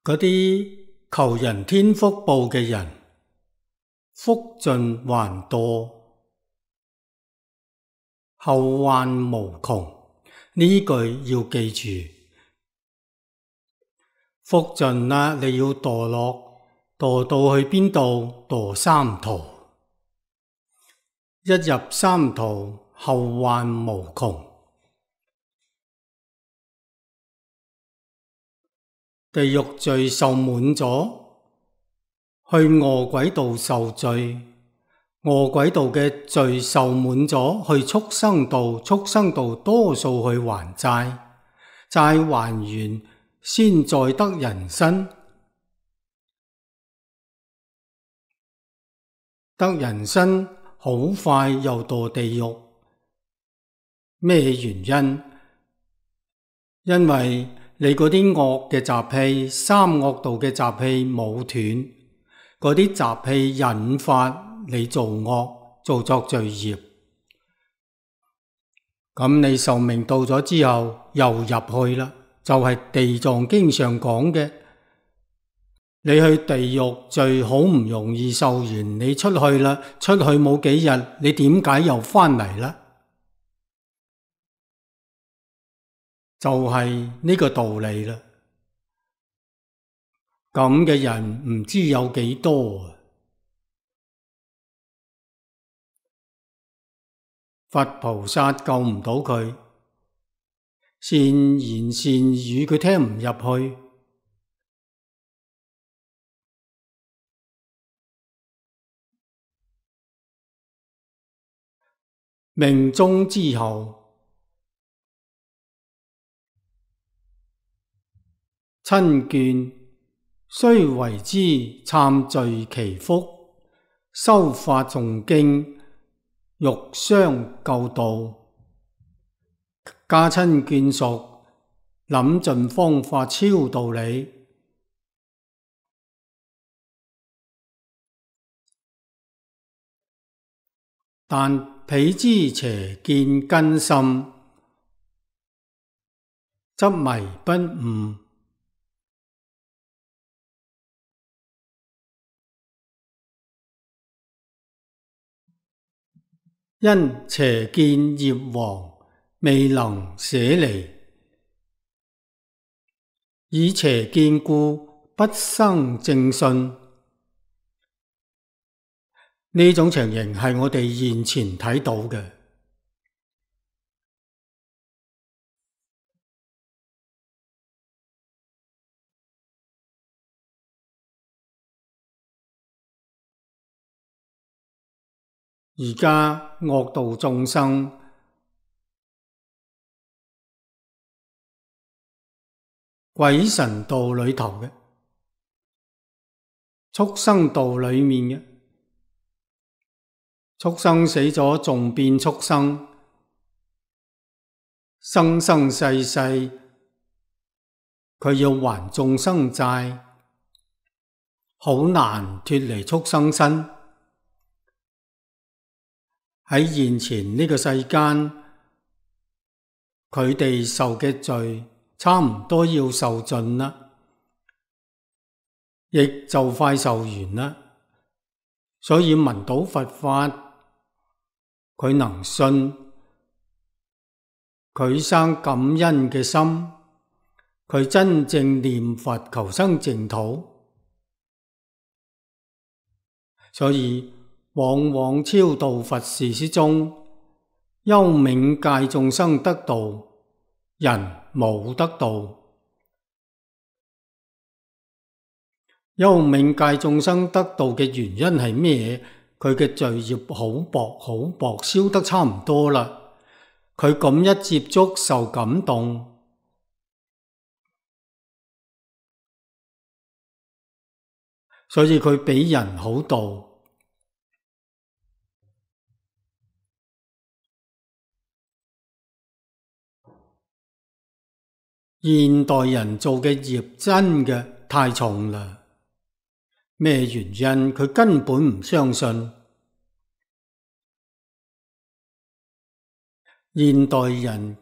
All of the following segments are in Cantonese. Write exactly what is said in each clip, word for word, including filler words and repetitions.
嗰啲求人天福報嘅人，福盡還多，後患無窮。呢句要記住。福盡啦，你要墮落，墮到去邊度？墮三途。一入三途，後患無窮。地獄罪受滿咗，去餓鬼道受罪，餓鬼道嘅罪受滿咗，去畜生道，畜生道多數去還債，債還完先再得人身，得人身好快又墮地獄。咩原因？因為你嗰啲惡嘅習氣，三惡道嘅習氣冇斷，嗰啲習氣引發你做惡，做作罪業。咁你壽命到咗之後，又入去啦，就係地藏經上講嘅，你去地獄罪好唔容易受完，你出去啦，出去冇幾日，你點解又返嚟啦？就係呢個道理啦。咁嘅人唔知有幾多啊！佛菩薩救唔到佢，善言善語佢聽唔入去，命終之後，親眷雖為之懺罪祈福，修法誦經，欲相救度，家親眷屬諗盡方法超度你，但彼之邪見根深，執迷不悟，因邪見業王未能捨離，以邪見故不生正信。呢種情形係我哋現前睇到嘅。而家惡道眾生鬼神道裏頭嘅，畜生道裏面嘅，畜生死咗仲變畜生，生生世世佢要還眾生債，好難脫離畜生身。喺現前呢個世間，佢哋受嘅罪差唔多要受盡啦，亦就快受完啦。所以聞到佛法，佢能信，佢生感恩嘅心，佢真正念佛求生淨土，所以往往超度佛事之中，幽冥界眾生得道，人冇得道。幽冥界眾生得道嘅原因係咩？佢嘅罪業好薄好薄，燒得差唔多啦。佢咁一接觸受感動，所以佢比人好度。現代人做嘅業真嘅太重啦。咩原因？佢根本唔相信。現代人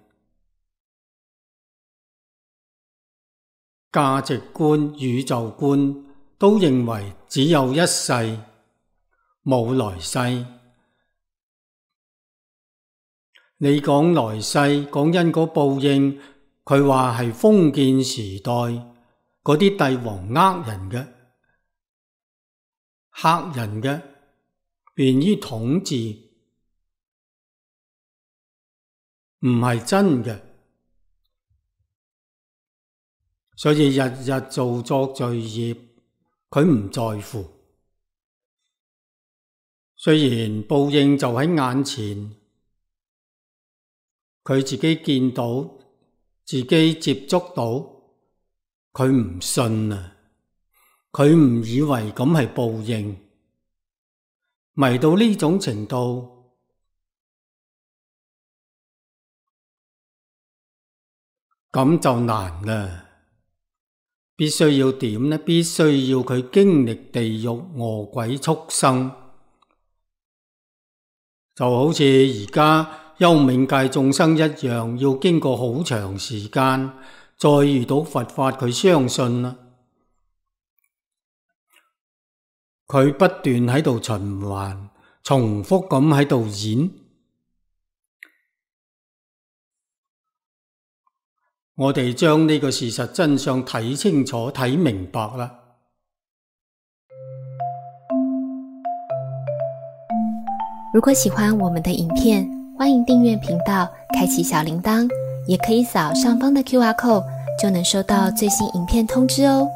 價值觀、宇宙觀都認為只有一世，冇來世。你講來世，講因果報應，佢話係封建時代嗰啲帝王呃人嘅、嚇人嘅，便於統治，唔係真嘅。所以日日做作罪業，佢唔在乎。雖然報應就喺眼前，佢自己見到，自己接觸到，佢唔信啊！佢唔以為咁係報應，迷到呢種程度，咁就難啦。必須要點呢？必須要佢經歷地獄、餓鬼、畜生，就好似而家幽冥界眾生一樣，要經過好長時間，再遇到佛法，佢相信啦。佢不斷喺度循環，重複咁喺度演。我哋將呢個事實真相睇清楚、睇明白啦。如果喜歡我們的影片，歡迎訂閱頻道，開啟小鈴鐺，也可以掃上方的 Q R code，就能收到最新影片通知哦。